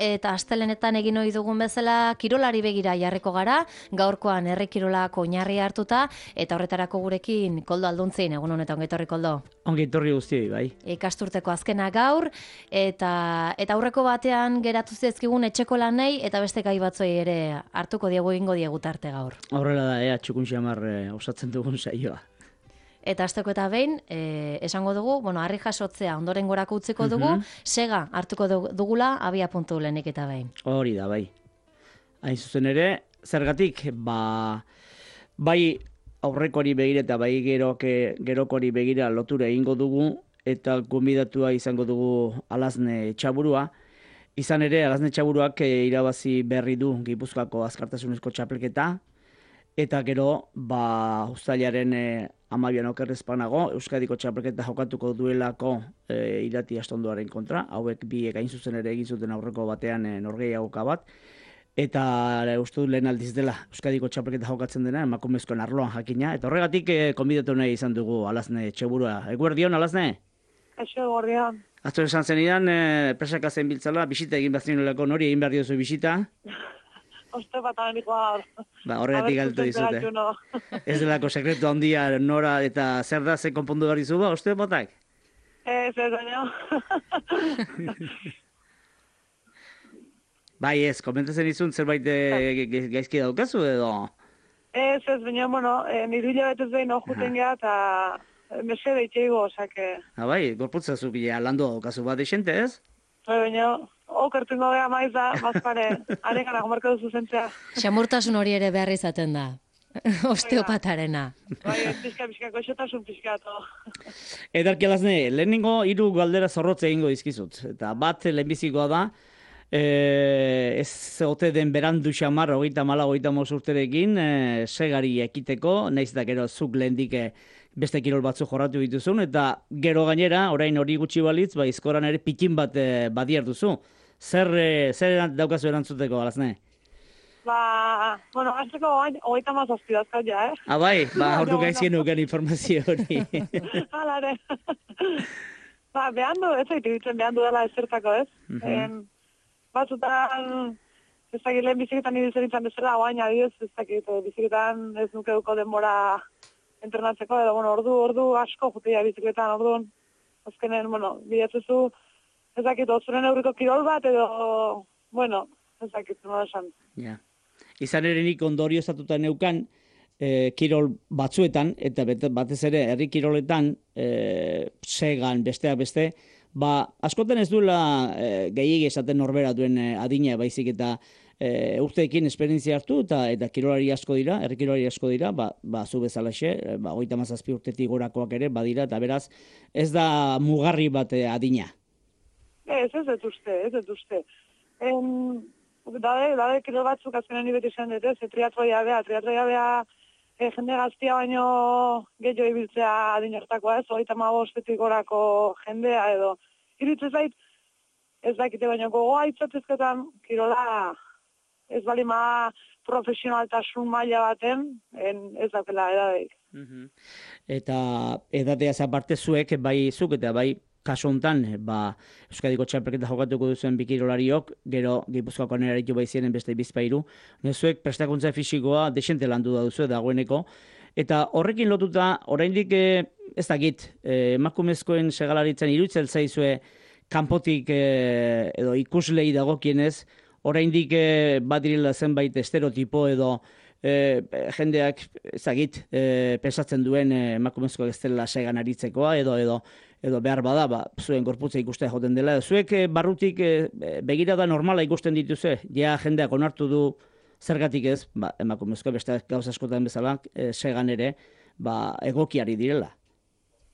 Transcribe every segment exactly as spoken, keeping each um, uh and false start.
eta astelenetan egin ohi dugun bezala kirolari begira jarriko gara, gaurkoan herri kirolak oinarri hartuta, eta horretarako gurekin Koldo Alduntzin, egun honetan ongi etorri Koldo. Ongi etorri guztioi, bai. Ikasturteko azkena gaur, eta eta aurreko batean geratu zizkigun etxeko lanei, eta beste gai batzoi ere hartuko diegu egingo diegu tarte gaur. Horrela da, ea, txukun xamar eh, osatzen dugun saioa. Eta asteko eta behin, eh, esango dugu, bueno, harri jasotzea ondoren gorako utziko dugu, Mhm. sega hartuko dugula abia puntu lehenik eta behin. Hori da, bai. Hain zuzen ere, zergatik, ba, bai aurrekoari begira eta bai geroke, gerokori begira lotura egingo dugu, eta gonbidatua izango dugu Alazne Txaburua. Izan ere, Alazne Txaburuak eh, irabazi berri du Gipuzkoako azkartasunezko txapelketa, eta gero, ba, uztailaren e, amabian okerrezpanago, Euskadiko txapelketa jokatuko duelako e, irati astondoaren kontra, hauek bi gain zuzen ere egin zuten aurreko batean e, norgehiagoka bat, eta e, uste dut lehen aldiz dela Euskadiko txapelketa jokatzen dena, emakumezkoen arloan jakina, eta horregatik e, konbidatu nahi izan dugu Alazne Txaburua. Eguerdion, Alazne? Eixo, gordian. Azto esan zenidan, e, presaka zen biltzala, bisita egin behar zinolako, nori egin behar diozu bisita? Oste bat amenikoa. Ba, horregatik galtu dizute. Ez delako sekretu handia nora eta zer da ze konpondu behar dizu ba, oste batak? Ez, ez, baina. Bai ez, komentatzen izun zerbait e, gaizki daukazu edo? Ez, ez, baina, bueno, e, nire hilabetez behin ojuten geha, eta mesede itxeigo, osake. Ha, bai, gorputza zu bila landu daukazu bat esente ez? Bai, baina, okertungo geha maiz da, mazpare, arekana gomarko duzu zentzea. Xamurtasun hori ere behar izaten da, osteopatarena. Bai, pixka, pixka, goxotasun pixka, to. Edarki Alazne, lehenengo hiru galdera zorrotze egingo dizkizut. Eta bat lehenbizikoa da, e, ez ote den berandu xamar, hogeita mala, hogeita mos urterekin, e, segari ekiteko, nahiz da gero zuk lehendik e, beste kirol batzu jorratu dituzun, eta gero gainera, orain hori gutxi balitz, ba, izkoran ere pikin bat e, badiar duzu. Zer, e, zer daukazu erantzuteko, Alazne? Ba, bueno, azteko hogeita mazazpi dazkat ja, eh? Ah, bai, ba, ordu gaizkien nuken informazio hori. Halare. Ba, behan du, ez zaitu ditzen behan du dela ezertako, ez? Mhm. En, batzutan, ez dakit lehen biziketan ibizeritzen bezala, oain adioz, ez dakit biziketan ez nuke duko denbora entrenatzeko, edo, bueno, ordu, ordu asko jutea biziketan, orduan, azkenen, bueno, bidetuzu, ez dakit, otzuren euriko kirol bat, edo, bueno, ez dakit, nola esan. Ja. Izan ere nik ondorio estatuta neukan, e, kirol batzuetan, eta bete, batez ere herri kiroletan, e, segan, besteak beste, ba, askotan ez duela e, gehiegi esaten norbera duen e, adina, baizik eta e, urteekin esperientzia hartu, eta eta kirolari asko dira, herri kirolari asko dira, ba, ba zu bezalaxe, e, ba, hogeita hamazazpi urtetik gorakoak ere badira, eta beraz, ez da mugarri bat e, adina. Ez, ez dut uste, ez dut uste. En, dade, dade kirol batzuk azkenen nibet izan dut, ez, triatroia bea, triatroia bea, e, jende gaztia baino gehiago ibiltzea adin hartakoa, ez, hogeita hamabostetik gorako jendea edo. Iruditzen zait, ez dakite baino gogoa itzatzezketan kirola ez balima profesionaltasun maila baten, en, ez dakela edadeik. Mhm. Eta edateaz aparte zuek, bai zuk eta bai kasu honetan, ba, Euskadiko txapelketa jokatuko duzuen bikirolariok, gero Gipuzkoako neraritu baizienen beste bizpairu, nezuek prestakuntza fisikoa desente landu da duzu dagoeneko, eta horrekin lotuta, oraindik eh, ez dakit, eh, emakumezkoen segalaritzen iruditzen zaizue kanpotik eh, edo ikuslei dagokienez, oraindik eh, badirela zenbait estereotipo edo E, jendeak ezagit e, pensatzen duen e, emakumezkoak ez dela segan aritzekoa edo edo edo behar bada, ba, zuen gorputza ikustea joten dela. Zuek e, barrutik e, begirada normala ikusten dituzue, ja jendeak onartu du zergatik ez, ba, emakumezkoa beste gauza askotan bezala e, segan ere ba, egokiari direla.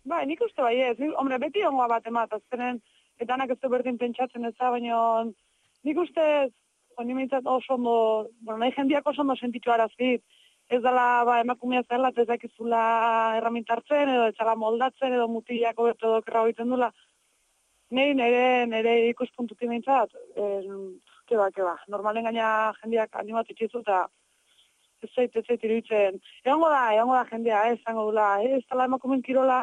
Ba, nik uste bai ez, nik, hombre, beti ongoa bat emat, azkenen, eta anak ez du berdin pentsatzen ez da, baina nik uste Honi mintzat oso ondo, bueno, nahi jendiak oso ondo sentitu arazit. Ez dela, ba, emakumea zela, ez dakizula erramintartzen, edo etxala moldatzen, edo mutilako beto edo kerra egiten dula. Nei, nire, nire ikuspuntutik mintzat, eh, keba, keba. Normalen gaina jendiak animatu itxizu, eta ez zait, ez zait iruditzen. Egongo da, egongo da jendea, ez zango dula, ez dela emakumen kirola,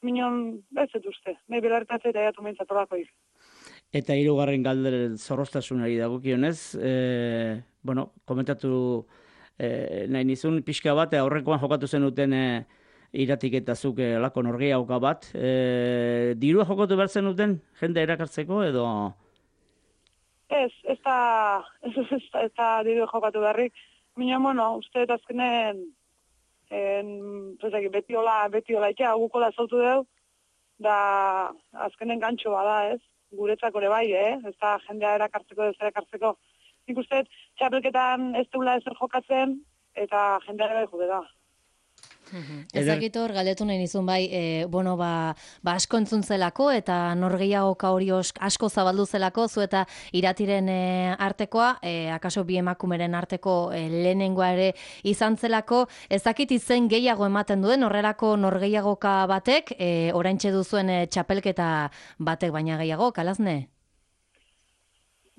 minon, ez zet uste. Nei belarretatzea eta jatu mintzat horako iz. Eta hirugarren galderen zorroztasunari dagokionez, e, bueno, komentatu e, nahi nizun pixka bat, aurrekoan jokatu zenuten e, iratik eta zuk lako norgehiagoka bat. E, dirua jokatu behar zenuten jende erakartzeko edo... Ez, ez da, ez, ez, ez da dirua jokatu beharrik. Mina, bueno, uste eta azkenen en, zezaki, beti hola, beti hola itea, gukola zautu deu, da azkenen gantxo bada, ez? Guretzako ere bai, eh? Ez da jendea erakartzeko, ez erakartzeko. Nik uste, txapelketan ez deula ezer jokatzen, eta jendea ere bai jude da. Ezakitor, galdetu nahi nizun bai, e, bueno, ba, ba asko entzun zelako eta norgehiagoka hori asko zabaldu zelako, zu eta iratiren e, artekoa, e, akaso bi emakumeren arteko e, lehenengoa ere izan zelako, ezakit izen gehiago ematen duen, horrelako norgehiagoka batek, e, oraintxe duzuen e, txapelketa batek baina gehiago, kalazne?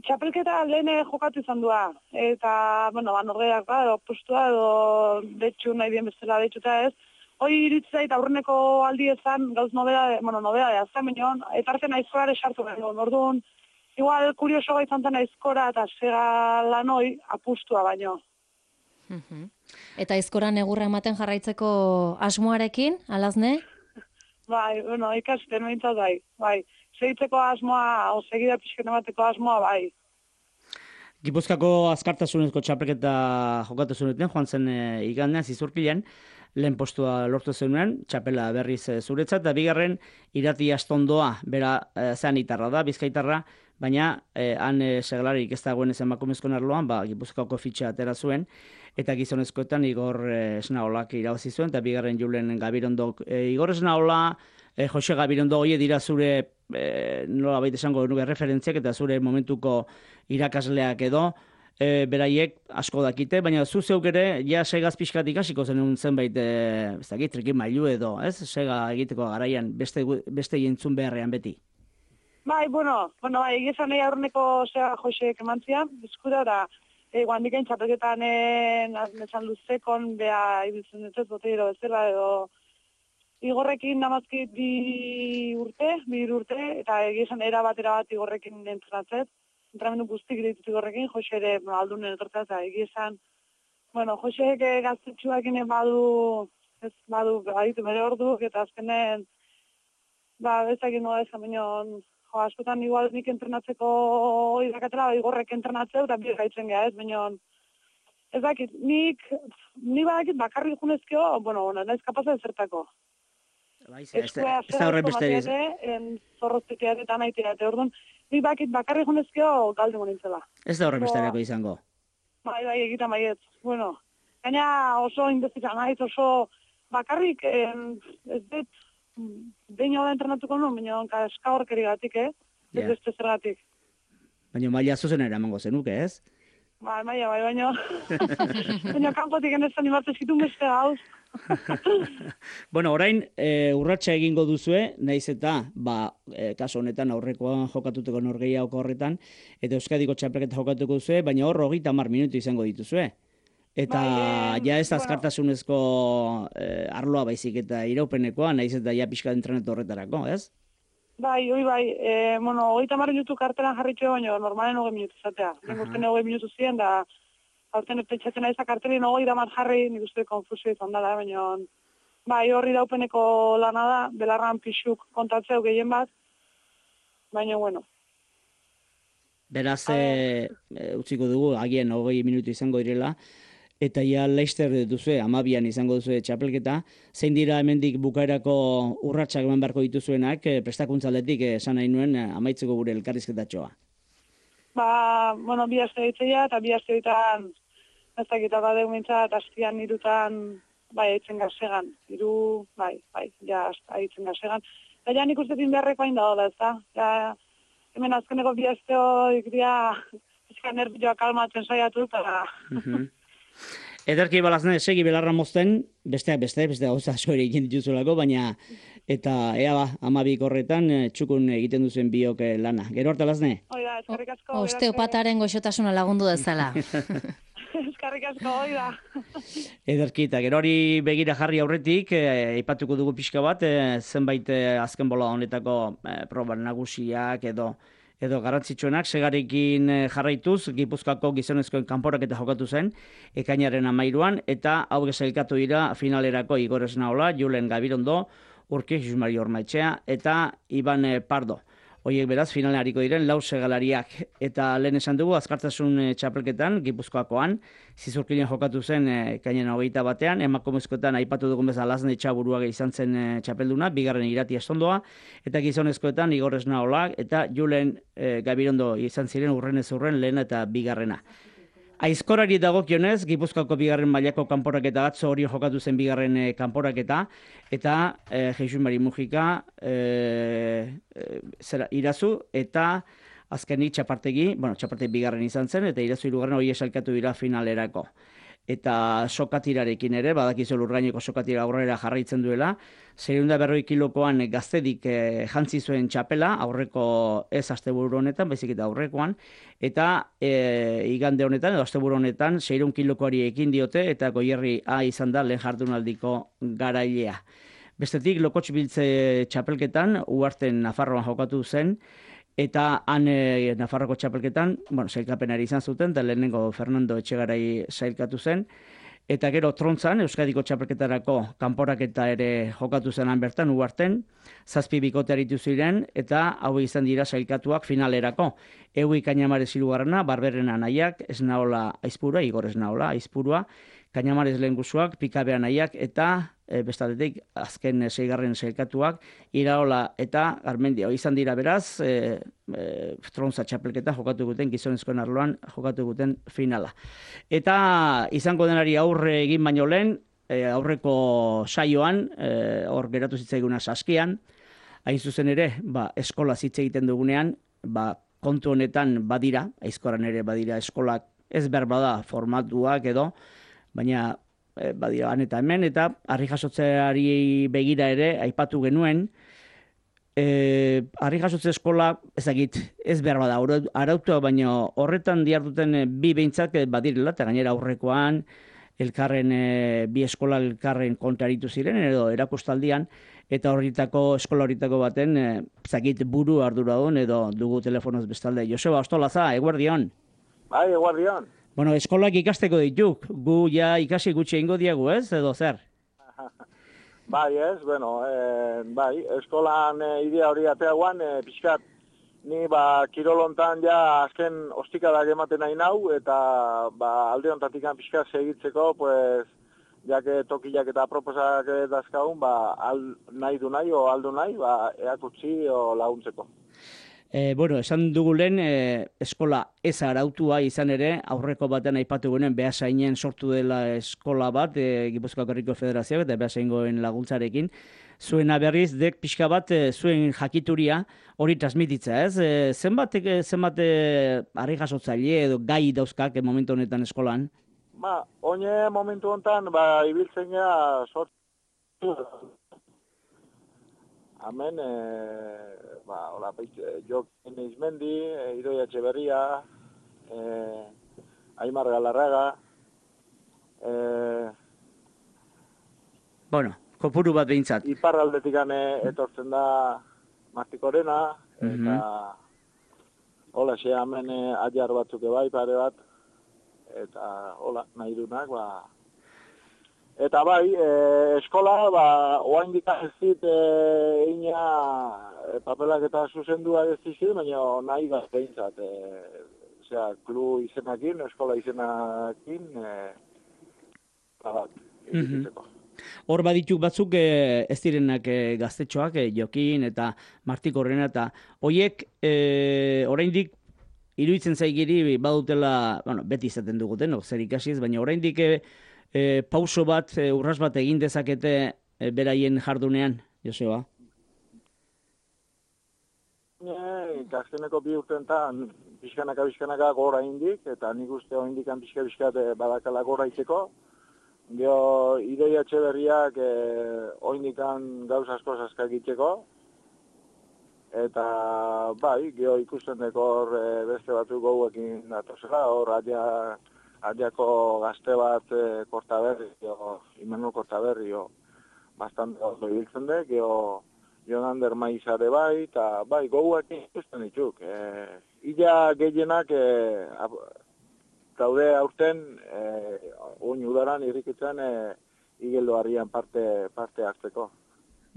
Txapelketa lehen jokatu izan dua, eta, bueno, ba, norgeak ba, edo postua, edo detxu nahi dien bezala detxuta ez. Hoi iritzait aurreneko aldi ezan, gauz nobeda, bueno, nobeda da, azan binion, eta arte naizkorare sartu behar. Orduan, igual, kurioso gaitzan zen naizkora eta sega lanoi apustua baino. Eta aizkoran egurra ematen jarraitzeko asmoarekin, alazne? Bai, bueno, ikasten behintzat bai, bai. Segitzeko asmoa, o segida pixken emateko asmoa, bai. Gipuzkako azkartasunezko txapelketa jokatu zenuten, joan zen e, igandean, zizurkilean, lehen postua lortu zenuen, txapela berriz e, zuretzat, eta bigarren irati astondoa, bera e, zean itarra da, bizkaitarra, baina e, han e, seglarik ez dagoen ez emakumezkoen arloan, ba, Gipuzkoako fitxa atera zuen, eta gizonezkoetan Igor e, Esnaolak irabazi zuen, eta bigarren Julen Gabirondok. E, Igor Esnaola, e, Jose Gabirondo hori dira zure, e, nola baita esango nuke referentziak, eta zure momentuko irakasleak edo, e, beraiek asko dakite, baina zu zeuk ere, ja segaz pixkat ikasiko zenun zenbait, e, ez dakit, trikin mailu edo, ez? Sega egiteko garaian, beste, beste jentzun beharrean beti. Bai, bueno, bueno, bai, egizan nahi aurreneko sega Joseek emantzian, bizkuda, da, e, guandikain txapelketan nezan luzekon, beha ibiltzen dut, boteiro bezala, edo, Igorrekin namazkit bi urte, bi urte, eta egizan era bat, era bat Igorrekin entrenatzet. Entramendu guztik ditut Igorrekin, Jose ere no, aldunen etortzat, eta egizan, bueno, Joseek gaztetxuakin badu, ez badu, baditu mere orduk, eta azkenen, ba, bezakin nola ezan binion, jo, askotan igual nik entrenatzeko irakatela, Igorrek entrenatzeu, eta bi gaitzen geha, ez binion, ez dakit, nik, nik badakit bakarrik junezkeo, bueno, naiz kapasa ezertako. Ez da horren beste diz. Zorrozteteak eta naiteak, orduan, nik bakit bakarri junezkeo galde monintzela. Ez da horren beste izango. Bai, bai, egita maiet. Bueno, gaina oso indezita naiz, oso bakarrik, ez dut, behin hau da entrenatuko nuen, baina eska horkeri gatik, eh? Ez yeah. Beste zergatik. Baina maila zuzen eramango zenuke, ez? Bai, maila, bai, baina, baina kanpotik enezan imartu zitun beste gauz. Bueno, orain e, urratsa egingo duzue, naiz eta ba, e, kaso honetan aurrekoan jokatuteko norgehiago horretan, eta Euskadiko txapelketa jokatuko duzue, baina hor hogeita hamar minutu izango dituzue. Eta bai, ja ez azkartasunezko e, arloa baizik eta iraupenekoa, naiz eta ja pixka entrenetu horretarako, ez? Bai, oi bai, e, bueno, hogeita hamar minutu kartelan jarritxo, baina normalen hogei minutu izatea. Nik uste hogei minutu ziren, da haurten pentsatzen nahi zakartelin hogei damar jarri, nik uste konfusio izan dela, baina bai, horri daupeneko lana da, belarran pixuk kontatzeu gehien bat, baina bueno. Beraz, e, e, utziko dugu, agian hogei minutu izango direla, eta ja Leicester duzue, amabian izango duzue txapelketa, zein dira hemendik bukaerako urratsak eman beharko dituzuenak, e, prestakuntzaletik esan nahi nuen e, amaitzeko gure elkarrizketatxoa. Ba, bueno, bi aste ditzea, eta bi aste ditan, ez dakita badeu mintzat, astian irutan, bai, aitzen gazegan. Iru, bai, bai, ja, aitzen gazegan. Eta ja nik uste din beharreko hain da dola, ez da? Ja, hemen azkeneko bi asteo ikria, izkan nervioa kalmatzen saiatu, eta... Ederki balazne, segi belarra mozten, besteak beste, beste gauza asko ere egin dituzulako, baina eta ea ba, amabik horretan txukun egiten duzen biok lana. Gero harta lazne? Oida, eskarrik asko. Osteopataren goxotasuna lagundu dezala. Eskarrik asko, oida. Ederki, eta gero hori begira jarri aurretik, aipatuko dugu pixka bat, zenbait azken bola honetako proba nagusiak edo edo garrantzitsuenak, segarekin jarraituz, Gipuzkoako gizonezkoen kanporaketa jokatu zen, ekainaren amairuan, eta hau sailkatu dira finalerako Igor Esnaola, Julen Gabirondo, Urki Jusmari Ormaetxea, eta Iban Pardo. Hoiek beraz, finalean hariko diren lau segalariak. Eta lehen esan dugu, azkartasun txapelketan, Gipuzkoakoan, Zizurkinen jokatu zen ekainaren hogeita batean, emakumezkoetan aipatu dugun bezala Lasne Etxaburuaga izan zen txapelduna, bigarren Irati Estondoa, eta gizonezkoetan Igor Esnaola eta Julen Gabirondo izan ziren urrenez urren lehen eta bigarrena. Aizkorari dagokionez, Gipuzkoako bigarren mailako kanporaketa atzo hori jokatu zen bigarren e, kanporaketa, eta e, Jesus Mari Mujika e, e, zera, irazu, eta azkenik txapartegi, bueno, txapartegi bigarren izan zen, eta irazu hirugarren hori esalkatu dira finalerako. Eta sokatirarekin ere, badakizu Lurgaineko sokatira aurrera jarraitzen duela, zerunda berroi kilokoan gaztedik e, jantzi zuen txapela, aurreko ez asteburu honetan, baizik eta aurrekoan, eta e, igande honetan, edo asteburu honetan, seiehun kilokoari ekin diote, eta Goierri A izan da lehen jardunaldiko garailea. Bestetik, Lokotx Biltze txapelketan, Uharten Nafarroan jokatu zen, eta han e, Nafarroko txapelketan, bueno, sailkapenari izan zuten, eta lehenengo Fernando Etxegarai sailkatu zen, eta gero Trontzan, Euskadiko txapelketarako kanporaketa ere jokatu zenan bertan, Uharten, zazpi bikote aritu ziren, eta hau izan dira sailkatuak finalerako. Eui Kainamarez hirugarrena, Barberena nahiak, Esnaola Aizpurua, Igor Esnaola Aizpurua, Kainamarez lehengusuak, Pikabea nahiak, eta e, bestaldetik azken e, seigarren sailkatuak, Iraola eta Garmendia. Izan dira beraz, e, e, Trontza txapelketa jokatu guten, gizonezkoen arloan jokatu guten finala. Eta izango denari aurre egin baino lehen, e, aurreko saioan, e, hor geratu zitzaiguna saskian, hain zuzen ere, ba, eskola hitz egiten dugunean, ba, kontu honetan badira, aizkoran ere badira eskolak, ez behar bada formatuak edo, baina e, badira han eta hemen, eta harri jasotzeari begira ere, aipatu genuen, e, harri jasotze eskola, ezagit, ez behar bada, arautua, baina horretan diarduten bi behintzak badirela, eta gainera aurrekoan, elkarren, e, bi eskola elkarren kontraritu ziren, edo erakustaldian, eta horritako, eskola horritako baten, e, zakit buru arduradun, edo dugu telefonoz bestalde. Joseba Ostolaza, eguerdion. Bai, eguerdion. Bueno, eskolak ikasteko dituk, gu ja ikasi gutxi ingo diagu, ez, edo zer? Bai, ez, bueno, e, bai, eskolan e, idea hori ateaguan, e, pixkat, ni ba, kirolontan ja azken ostikadak ematen nahi nau, eta ba, alde hontatik pixkat segitzeko, pues, jake tokiak eta proposak dazkagun, ba, al, nahi du nahi, o aldu nahi, ba, eakutsi o laguntzeko. E, bueno, esan dugu lehen, e, eskola ez arautua izan ere, aurreko batean aipatu guenen, Beasainen sortu dela eskola bat, e, Gipuzkoako Herriko Federazioak eta Beasaingoen laguntzarekin, zuena berriz, dek pixka bat, e, zuen jakituria hori transmititza, ez? E, zenbat, e, zenbat e, harri jasotzaile edo gai dauzkak e, momentu honetan eskolan? Ba, oine momentu honetan, ba, ibiltzen gara sortu. Hemen, e, ba, hola, Jokin Izmendi, e, Idoia Etxeberria, e, Aimar Galarraga, e, bueno, kopuru bat behintzat. Iparraldetik etortzen da Martikorena, eta mm-hmm. hola, xe, hemen e, ajar batzuk bai, pare bat, eta hola, nahi dunak, ba, eta bai, e, eskola, ba, oain dikazit e, ina e, papelak eta zuzendua ez dizit, baina nahi bat behintzat. E, osea, klu izenakin, eskola izenakin, e, bat, egiteko. Hor badituk batzuk e, ez direnak e, gaztetxoak, e, Jokin eta Martikorrena, eta hoiek e, oraindik iruditzen zaigiri badutela, bueno, beti izaten duguten, no, zer ikasiz, baina oraindik e, e, pauso bat, e, urras bat egin dezakete e, beraien jardunean, Joseba? Gazteneko bi urtentan pixkanaka-pixkanaka gora indik, eta nik uste hori indikan pixka-pixkat badakala gora iteko. Gero, Idoia Etxeberriak eh, oindikan gauz asko zaskak itxeko. Eta, bai, gero ikusten deko hor eh, beste batzuk gauekin datozela, hor adia, adiako gazte bat eh, Kortaberri, o, Imanol Kortaberri, o, bastante ondo ibiltzen dek, gero Jonander Maizare bai, eta bai, goguak ikusten dituk. E, Ila gehienak e, daude aurten, e, oin udaran irrikitzen e, igeldo harrian parte, parte hartzeko.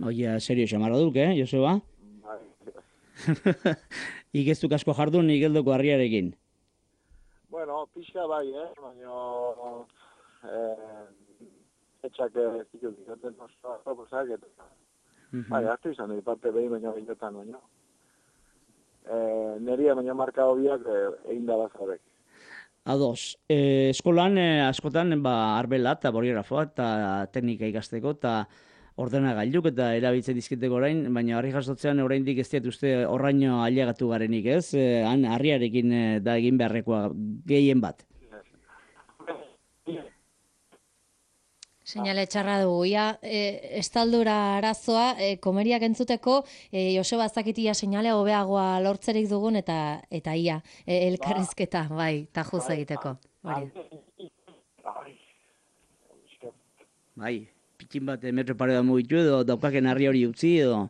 Oia, serio xamarra duk, eh, Joseba? Bai. Igeztuk asko jardun igeldoko harriarekin. Bueno, pixka bai, eh? Baina... Eh, etxak zitu dikaten oso proposak, eta... Bai, hartu izan dut, parte behin baina behinetan baina. E, neria baina marka hobiak e, egin da bazarek. Ados, e, eskolan e, askotan ba, arbela eta boligrafoa eta teknika ikasteko eta ordenagailuk eta erabiltzen dizkiteko orain, baina harri jasotzean oraindik ez diat uste horraino ailegatu garenik, ez? E, han harriarekin e, da egin beharrekoa gehien bat. Seinale txarra dugu, ia, e, estaldura arazoa, e, komeriak entzuteko, e, Joseba Azakitia seinale hobeagoa lortzerik dugun, eta eta ia, e, elkarrizketa, bai, tajuz egiteko. Bai, bai pikin bat metro pare da mugitu edo daukaken harri hori utzi edo...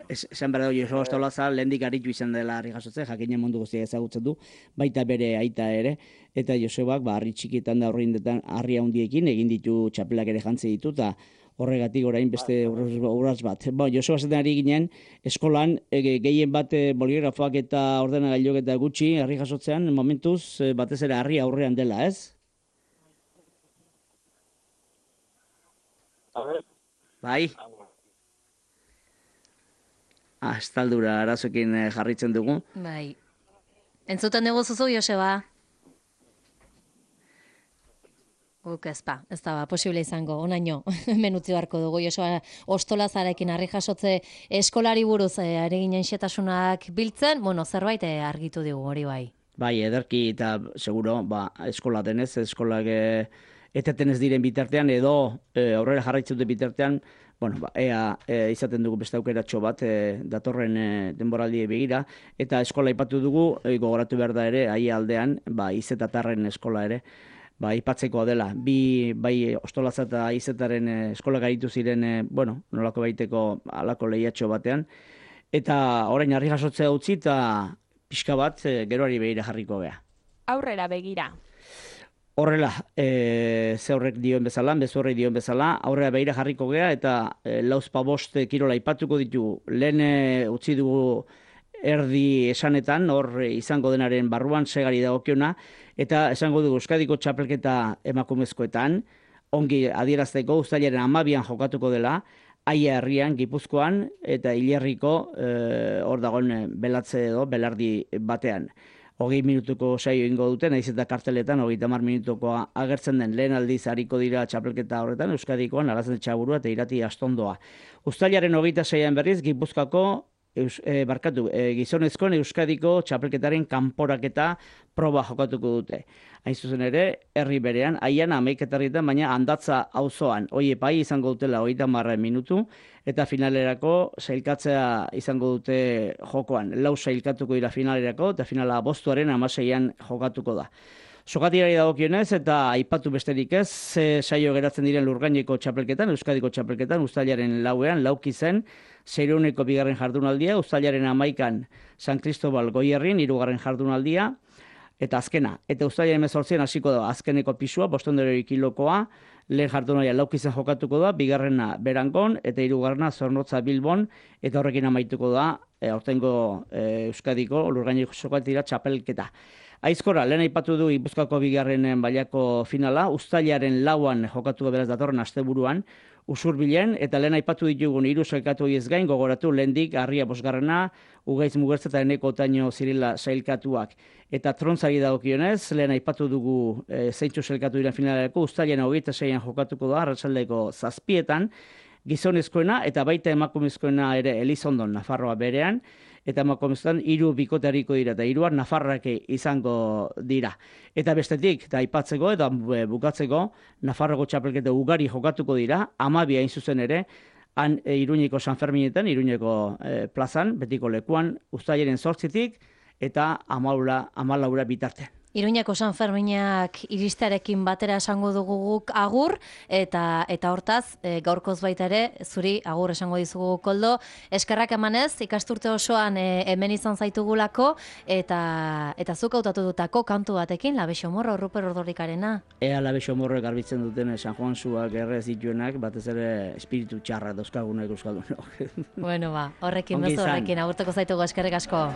Esan behar dugu, Joseba Ostolaza lehendik aritu izan dela harri jasotze, jakinen mundu guztia ezagutzen du, baita bere aita ere, eta Josebak ba, harri txikietan da horreindetan harri handiekin egin ditu txapelak ere jantzi ditu, eta horregatik orain beste urratz bat. Ba, Joseba zaten ari ginen, eskolan e, gehien bat e, boligrafoak eta ordenagailuk eta gutxi harri jasotzean, momentuz e, batez ere harri aurrean dela, ez? Bai? Ah, estaldura arazoekin jarritzen dugu. Bai. Entzuten dugu zuzu, Joseba? Guk ez ba, ez da ba, posible izango, onaino, menutzi beharko dugu, Joseba Ostolazarekin harri jasotze eskolari buruz eh, ari ginen xetasunak biltzen, bueno, zerbait eh, argitu digu hori bai. Bai, ederki eta seguro, ba, eskola denez, eskolak eh, eteten ez diren bitartean, edo eh, aurrera jarraitzen dute bitartean, bueno, ba, ea e, izaten dugu beste aukeratxo bat e, datorren e, denboraldi begira, eta eskola aipatu dugu, e, gogoratu behar da ere, ahi aldean, ba, izetatarren eskola ere, ba, aipatzekoa dela. Bi, bai, Ostolaza eta izetaren e, eskola gaitu ziren, e, bueno, nolako baiteko alako lehiatxo batean, eta orain harri jasotzea utzi, eta pixka bat e, geroari begira jarriko gea. Aurrera begira. Horrela, e, ze horrek dioen bezala, bezu horrek dioen bezala, aurrera behira jarriko gea, eta e, lauzpa bost kirola ipatuko ditu, lehen e, utzi dugu erdi esanetan, hor izango denaren barruan segari dagokiona, eta esango dugu Euskadiko txapelketa emakumezkoetan, ongi adierazteko uztailaren hamabian jokatuko dela, Aia herrian, Gipuzkoan, eta Hilerriko e, hor dagoen belatze edo, belardi batean. Hogei minutuko saio ingo dute, nahiz eta karteletan hogeita hamar minutukoa agertzen den lehen aldiz hariko dira txapelketa horretan, Euskadikoan, Arazen Txaburua eta Irati Astondoa. Uztailaren hogeita seian berriz, Gipuzkoako Eus, e, barkatu, e, gizonezkoen Euskadiko txapelketaren kanporaketa proba jokatuko dute. Hain zuzen ere, herri berean, aian hamaiketarrietan, baina handatza auzoan, hoi epai izango dutela hogeita hamar minutu, eta finalerako sailkatzea izango dute jokoan. Lau sailkatuko dira finalerako, eta finala bostuaren hamaseian jokatuko da. Sokatirari dagokionez eta aipatu besterik ez, ze saio geratzen diren Lurgaineko txapelketan, Euskadiko txapelketan, uztailaren lauean, lauki zen, seireuneko bigarren jardunaldia, uztailaren amaikan San Cristobal Goierrin, hirugarren jardunaldia, eta azkena. Eta uztailaren hemezortzian hasiko da azkeneko pisua, bostehun kilokoa, lehen jardunaldia lauki zen jokatuko da, bigarrena Berangon, eta hirugarrena Zornotza Bilbon, eta horrekin amaituko da, e, aurtengo e, Euskadiko Lurgaineko sokatira txapelketa. Aizkora, lehen aipatu du Gipuzkoako bigarren mailako finala, uztailaren lauan jokatu beraz datorren asteburuan, Usurbilen, eta lehen aipatu ditugun hiru sailkatu horiez gain, gogoratu lehendik Harria bosgarrena, Ugaitz Mugertza eta Eneko Otaino Zirila sailkatuak. Eta trontzari dagokionez, lehen aipatu dugu e, zeintzu sailkatu dira finalerako, uztailaren hogeita seian jokatuko da, arratsaldeko zazpietan, gizonezkoena eta baita emakumezkoena ere Elizondon, Nafarroa berean, eta emakumezkoetan hiru bikotariko dira, eta hiruak Nafarrak izango dira. Eta bestetik, eta aipatzeko eta bukatzeko, Nafarroko txapelketa ugari jokatuko dira, hamabi hain zuzen ere, han e, Iruñeko San Ferminetan, Iruñeko e, plazan, betiko lekuan, uztailaren zortzitik, eta hamalaura bitarte. Iruñako San Ferminak iristearekin batera esango dugu guk agur, eta eta hortaz, e, gaurkoz baita ere, zuri agur esango dizugu Koldo. Eskerrak emanez, ikasturte osoan e, hemen izan zaitugulako, eta eta zuk hautatu dutako kantu batekin, Labexo Morro, Ruper Ordorikarena. Ea Labexo Morro garbitzen duten San Juan zuak errez dituenak, batez ere espiritu txarra dauzkagunak euskaldunok. Bueno ba, horrekin bezu horrekin, agurtuko zaitugu eskerrik asko.